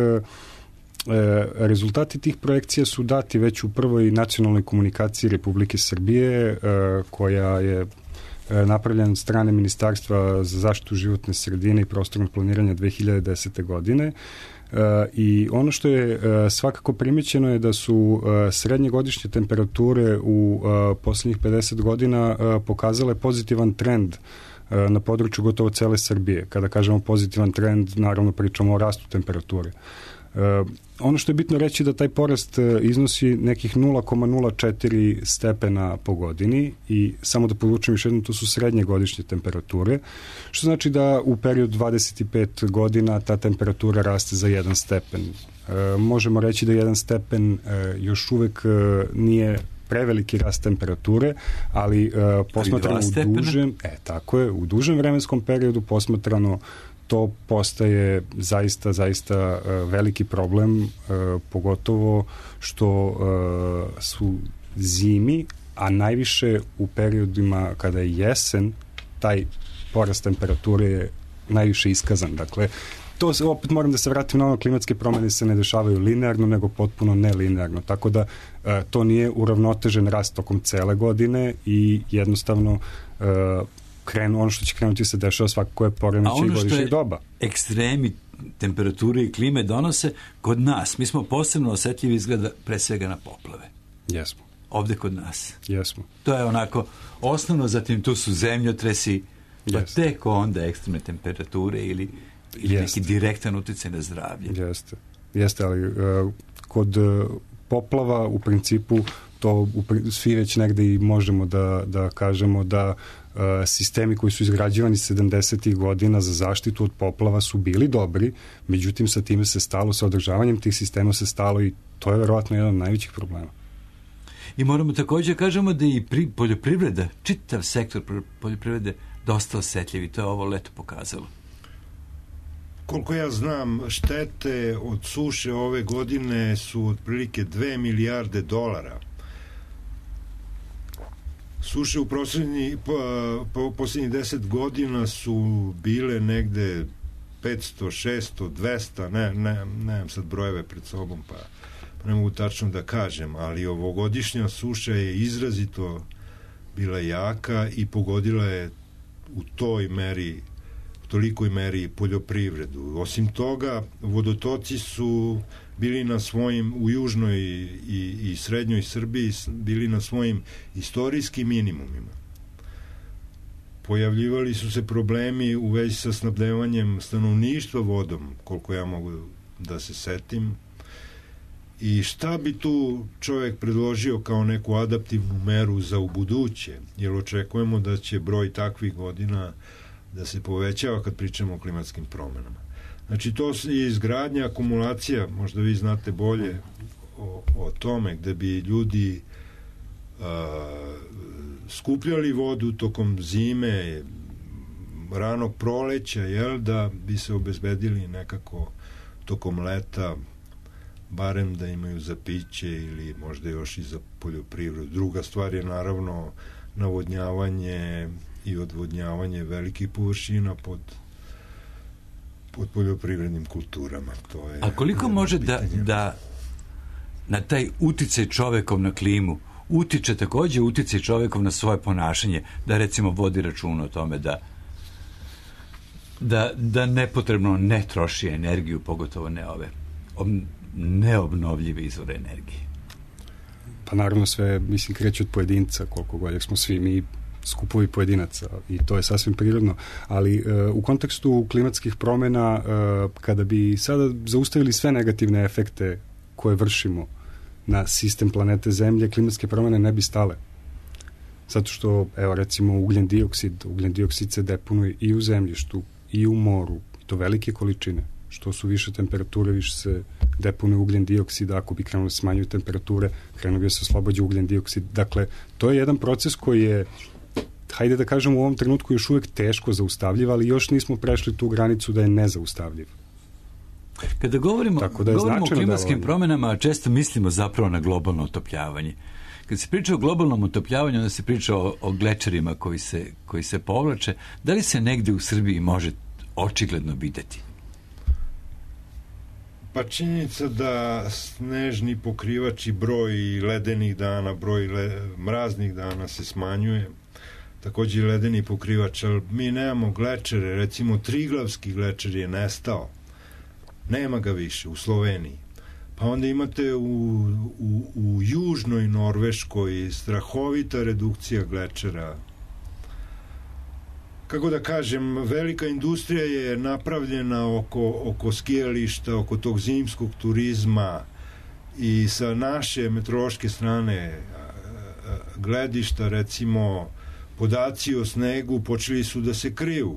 S3: rezultati tih projekcija su dati već u prvoj nacionalnoj komunikaciji Republike Srbije, koja je napravljena od strane Ministarstva za zaštitu životne sredine i prostornog planiranja 2010. godine. I ono što je svakako primećeno je da su srednje godišnje temperature u poslednjih 50 godina pokazale pozitivan trend na području gotovo cele Srbije. Kada kažemo pozitivan trend, naravno pričamo o rastu temperature. Ono što je bitno reći da taj porast iznosi nekih 0,04 stepena po godini i samo da podvučem još jedno, to su srednje godišnje temperature, što znači da u periodu 25 godina ta temperatura raste za 1 stepen. Možemo reći da 1 stepen još uvek nije preveliki rast temperature, ali posmatrano u dužem vremenskom periodu posmatrano to postaje zaista veliki problem, pogotovo što su zimi, a najviše u periodima kada je jesen, taj porast temperature je najviše iskazan. Dakle, to opet moram da se vratim na ono, klimatske promene se ne dešavaju linearno, nego potpuno nelinearno, tako da to nije uravnotežen rast tokom cele godine i jednostavno ono što će krenuti se dešava svakako je poremećaj godišnjeg doba.
S1: Ekstremi temperature i klime donose kod nas. Mi smo posebno osetljivi izgleda pre svega na poplave.
S3: Jesmo.
S1: Ovde kod nas.
S3: Jesmo.
S1: To je onako osnovno, zatim tu su zemljotresi, pa tek onda ekstremne temperature ili neki direktan uticaj na zdravlje.
S3: Jeste, ali kod poplava u principu to svi već negde i možemo da kažemo da sistemi koji su izgrađivani 70. godina za zaštitu od poplava su bili dobri, međutim sa time se stalo, sa održavanjem tih sistema se stalo i to je verovatno jedan od najvećih problema.
S1: I moramo također kažemo da i poljoprivreda, čitav sektor poljoprivrede dosta osetljiv i to je ovo leto pokazalo.
S2: Koliko ja znam, štete od suše ove godine su otprilike 2 milijarde dolara. Suše u posljednjih 10 godina su bile negde 500, 600, 200, nemam sad brojeve pred sobom, pa ne mogu tačno da kažem, ali ovogodišnja suša je izrazito bila jaka i pogodila je u tolikoj meri poljoprivredu. Osim toga, vodotoci su bili na svojim, u južnoj i srednjoj Srbiji, bili na svojim istorijskim minimumima. Pojavljivali su se problemi u vezi sa snabdevanjem stanovništva vodom, koliko ja mogu da se setim. I šta bi tu čovjek predložio kao neku adaptivnu meru za ubuduće? Jer očekujemo da će broj takvih godina da se povećava kad pričamo o klimatskim promenama. Znači, to je izgradnja, akumulacija, možda vi znate bolje o tome, gde bi ljudi skupljali vodu tokom zime, ranog proleća, da bi se obezbedili nekako tokom leta, barem da imaju za piće ili možda još i za poljoprivredu. Druga stvar je naravno navodnjavanje i odvodnjavanje velikih površina pod poljoprivrednim kulturama. To je.
S1: A koliko može da na taj uticaj čovekov na klimu utiče također uticaj čovekov na svoje ponašanje, da recimo vodi računa o tome da nepotrebno ne troši energiju, pogotovo ne ove neobnovljive izvore energije?
S3: Pa naravno sve, mislim, kreće od pojedinca, koliko god smo svi mi skupovi pojedinaca i to je sasvim prirodno, ali u kontekstu klimatskih promjena, kada bi sada zaustavili sve negativne efekte koje vršimo na sistem planete Zemlje, klimatske promjene ne bi stale. Zato što, evo recimo, ugljen dioksid se deponuje i u zemljištu i u moru, to velike količine. Što su više temperature, više se deponuje ugljen dioksid, ako bi krenulo da smanjuju temperature, krenuo bi da se oslobađa ugljen dioksid. Dakle, to je jedan proces koji je, hajde da kažem, u ovom trenutku još uvijek teško zaustavljiv, ali još nismo prešli tu granicu da je nezaustavljiv.
S1: Kada govorimo o klimatskim promjenama, često mislimo zapravo na globalno otopljavanje. Kad se priča o globalnom otopljavanju, onda se priča o glečerima koji se povlače. Da li se negde u Srbiji može očigledno videti?
S2: Pa činjenica da snežni pokrivač i broj ledenih dana, broj mraznih dana se smanjuje, također i ledeni pokrivač, ali mi nemamo glečere, recimo Triglavski glečer je nestao, nema ga više u Sloveniji. Pa onda imate u južnoj Norveškoj strahovita redukcija glečera. Kako da kažem, velika industrija je napravljena oko skijališta, oko tog zimskog turizma i sa naše meteorološke strane gledišta, recimo, podaci o snegu počeli su da se kriju.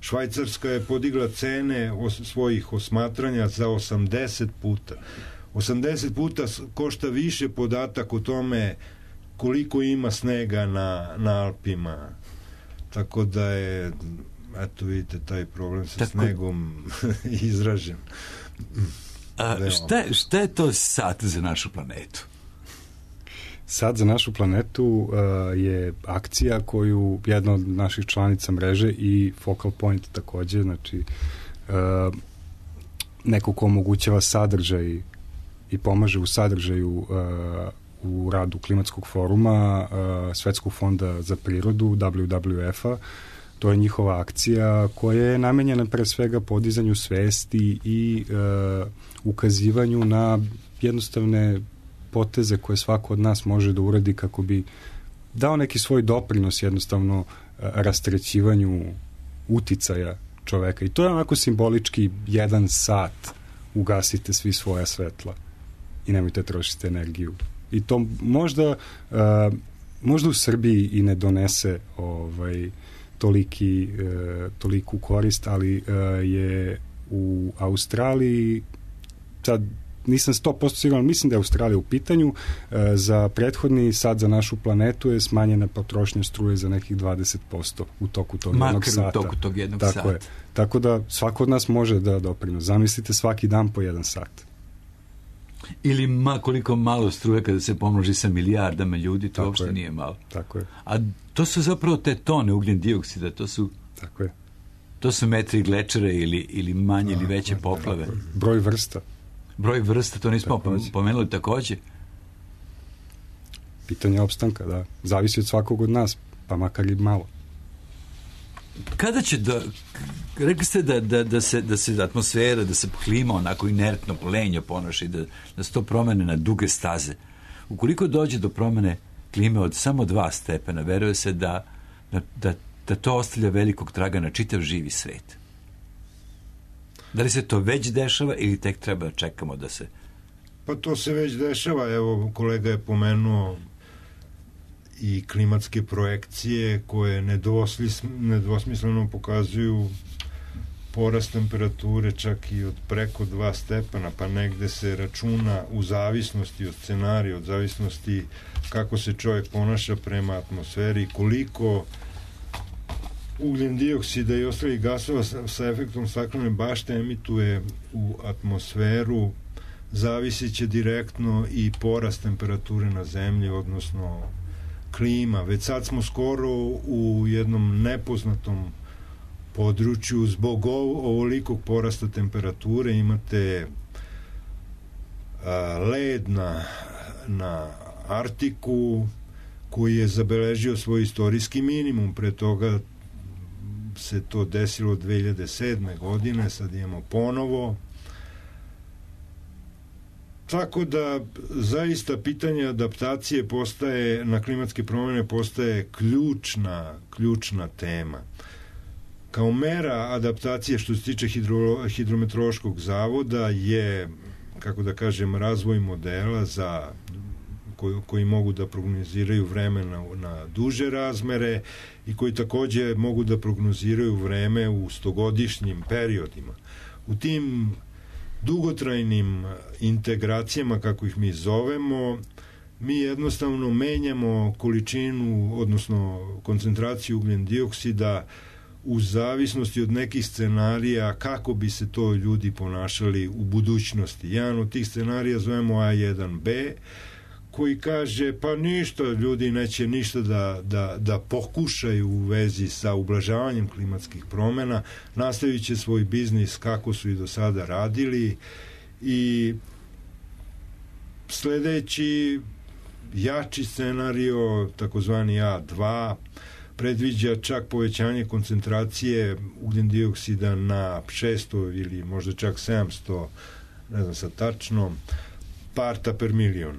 S2: Švajcarska je podigla cene svojih osmatranja za 80 puta. 80 puta košta više podatak o tome koliko ima snega na Alpima. Tako da je, eto vidite, taj problem sa snegom izražen.
S1: Šta je to sat za našu planetu?
S3: Sat za našu planetu je akcija koju jedna od naših članica mreže i Focal Point također, znači neko ko omogućava sadržaj i pomaže u sadržaju u radu klimatskog foruma Svetskog fonda za prirodu, WWF-a, To je njihova akcija koja je namenjena pre svega podizanju svesti i ukazivanju na jednostavne poteze koje svako od nas može da uradi kako bi dao neki svoj doprinos jednostavno rastrećivanju uticaja čoveka. I to je onako simbolički 1 sat ugasite svi svoja svetla i nemojte trošiti energiju. I to možda u Srbiji i ne donese toliku korist, ali je u Australiji, sad nisam 100% siguran, mislim da je Australija u pitanju, za prethodni sat za našu planetu je smanjena potrošnja struje za nekih 20% u toku tog jednog sata.
S1: Makar u toku tog jednog sata.
S3: Je. Tako da svako od nas može da doprinos. Zamislite svaki dan po 1 sat.
S1: Ili koliko malo struje kada se pomnoži sa milijardama ljudi, to uopšte nije malo.
S3: Tako je.
S1: A to su zapravo te tone ugljen dioksida,
S3: Tako je.
S1: To su metri glečere ili manje ili veće poplave.
S3: Broj vrsta.
S1: Broj vrsta, to nismo pomenuli takođe.
S3: Pitanje opstanka, da. Zavisi od svakog od nas, pa makar i malo.
S1: Kada će rekli ste da se atmosfera, da se klima onako inertno, lenjo ponaša, da se to promene na duge staze. Ukoliko dođe do promene klime od samo 2 stepena, veruje se da to ostavlja velikog traga na čitav živi svet. Da li se to već dešava ili tek treba da čekamo da se...
S2: Pa to se već dešava. Evo, kolega je pomenuo i klimatske projekcije koje nedvosmisleno pokazuju porast temperature čak i od preko 2 stepena, pa negde se računa u zavisnosti od scenarija, od zavisnosti kako se čovjek ponaša prema atmosferi, koliko ugljen dioksida i ostalih gasova sa efektom staklene bašte emituje u atmosferu, zavisit će direktno i porast temperature na zemlji, odnosno klima. Već sad smo skoro u jednom nepoznatom području zbog ovolikog porasta temperature. Imate led na Artiku koji je zabeležio svoj istorijski minimum. Pre toga se to desilo 2007. godine, sad imamo ponovo. Tako da zaista pitanje adaptacije na klimatske promjene postaje ključna tema. Kao mera adaptacije što se tiče hidrometeorološkog zavoda je, kako da kažem, razvoj modela koji mogu da prognoziraju vreme na duže razmere i koji takođe mogu da prognoziraju vreme u 100-godišnjim periodima. U tim dugotrajnim integracijama, kako ih mi zovemo, mi jednostavno menjamo količinu, odnosno koncentraciju ugljen dioksida u zavisnosti od nekih scenarija kako bi se to ljudi ponašali u budućnosti. Jedan od tih scenarija zovemo A1B, koji kaže, pa ništa, ljudi neće ništa da pokušaju u vezi sa ublažavanjem klimatskih promjena, nastavit će svoj biznis kako su i do sada radili, i sledeći jači scenario, takozvani A2, predviđa čak povećanje koncentracije ugljen dioksida na 600 ili možda čak 700, ne znam sad tačno, parta per milion.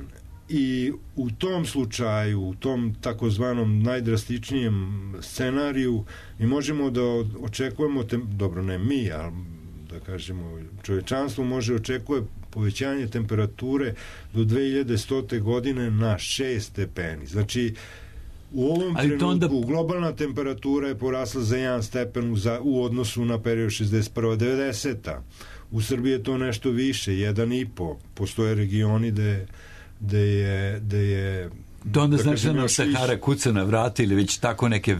S2: I u tom slučaju, u tom takozvanom najdrastičnijem scenariju, mi možemo da očekujemo, dobro, ne mi, ali da kažemo čovečanstvo može očekuje povećanje temperature do 2100. godine na 6 stepeni. Znači, u ovom trenutku globalna temperatura je porasla za 1 stepen u odnosu na period 61-90. U Srbiji je to nešto više, 1,5. Postoje regioni gde je
S1: to onda znači da nam Sahara kuca na vrata ili već tako neke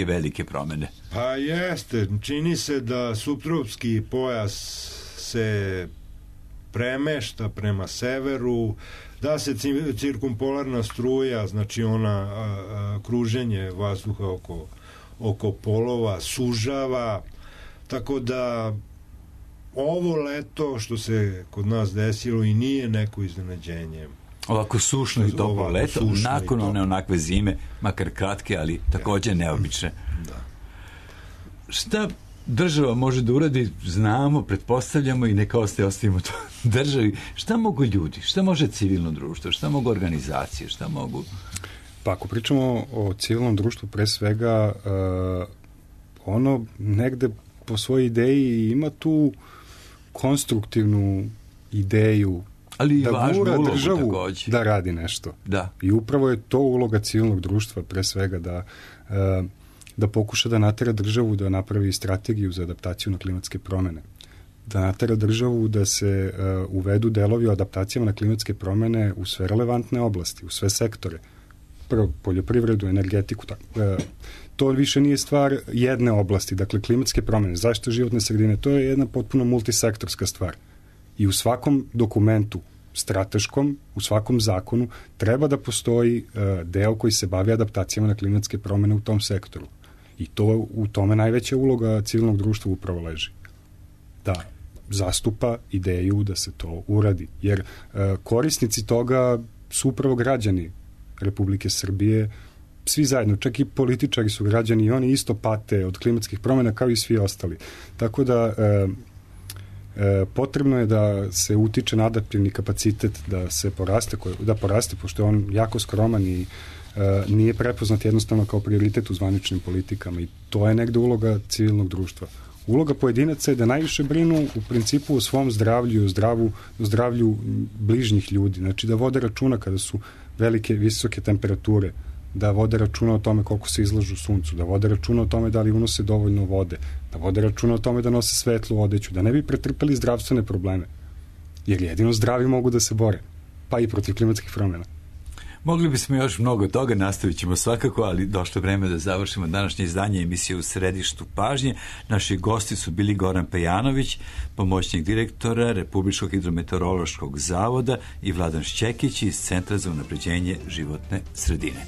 S1: velike promene?
S2: Pa jeste, čini se da suptropski pojas se premešta prema severu, da se cirkumpolarna struja, znači ona kruženje vazduha oko polova sužava, tako da ovo leto što se kod nas desilo i nije neko iznenađenje.
S1: Ovako sušno i toplo leto, nakon one onakve zime, makar kratke, ali takođe neobične.
S2: Da.
S1: šta država može da uradi, znamo, pretpostavljamo i neka ostavimo to državi. Šta mogu ljudi? Šta može civilno društvo? Šta mogu organizacije? Šta mogu...
S3: Pa ako pričamo o civilnom društvu, pre svega ono negde po svojoj ideji ima tu konstruktivnu ideju,
S1: ali
S3: da gura državu takođe da radi nešto.
S1: Da.
S3: I upravo je to uloga civilnog društva, pre svega da pokuša da natera državu da napravi strategiju za adaptaciju na klimatske promene. Da natera državu da se uvedu delovi o adaptacijama na klimatske promene u sve relevantne oblasti, u sve sektore. Prvo, poljoprivredu, energetiku, to više nije stvar jedne oblasti, dakle klimatske promene, zaštita životne sredine, to je jedna potpuno multisektorska stvar. I u svakom dokumentu strateškom, u svakom zakonu treba da postoji deo koji se bavi adaptacijama na klimatske promene u tom sektoru. I to u tome najveća uloga civilnog društva upravo leži. Da zastupa ideju da se to uradi. Jer korisnici toga su upravo građani Republike Srbije, svi zajedno, čak i političari su građani i oni isto pate od klimatskih promjena kao i svi ostali. Tako da potrebno je da se utiče na adaptivni kapacitet da poraste, pošto je on jako skroman i nije prepoznat jednostavno kao prioritet u zvaničnim politikama i to je negde uloga civilnog društva. Uloga pojedinaca je da najviše brinu u principu o svom zdravlju i o zdravlju bližnjih ljudi. Znači da vode računa kada su velike, visoke temperature, da vode računa o tome koliko se izlažu suncu, da vode računa o tome da li unose dovoljno vode, da vode računa o tome da nose svetlu odeću, da ne bi pretrpeli zdravstvene probleme. Jer jedino zdravi mogu da se bore, pa i protiv klimatskih promjena.
S1: Mogli bismo još mnogo toga, nastavit ćemo svakako, ali došlo vreme da završimo današnje izdanje emisije U središtu pažnje. Naši gosti su bili Goran Pejanović, pomoćnik direktora Republičkog hidrometeorološkog zavoda i Vladan Šćekić iz Centra za unapređenje životne sredine.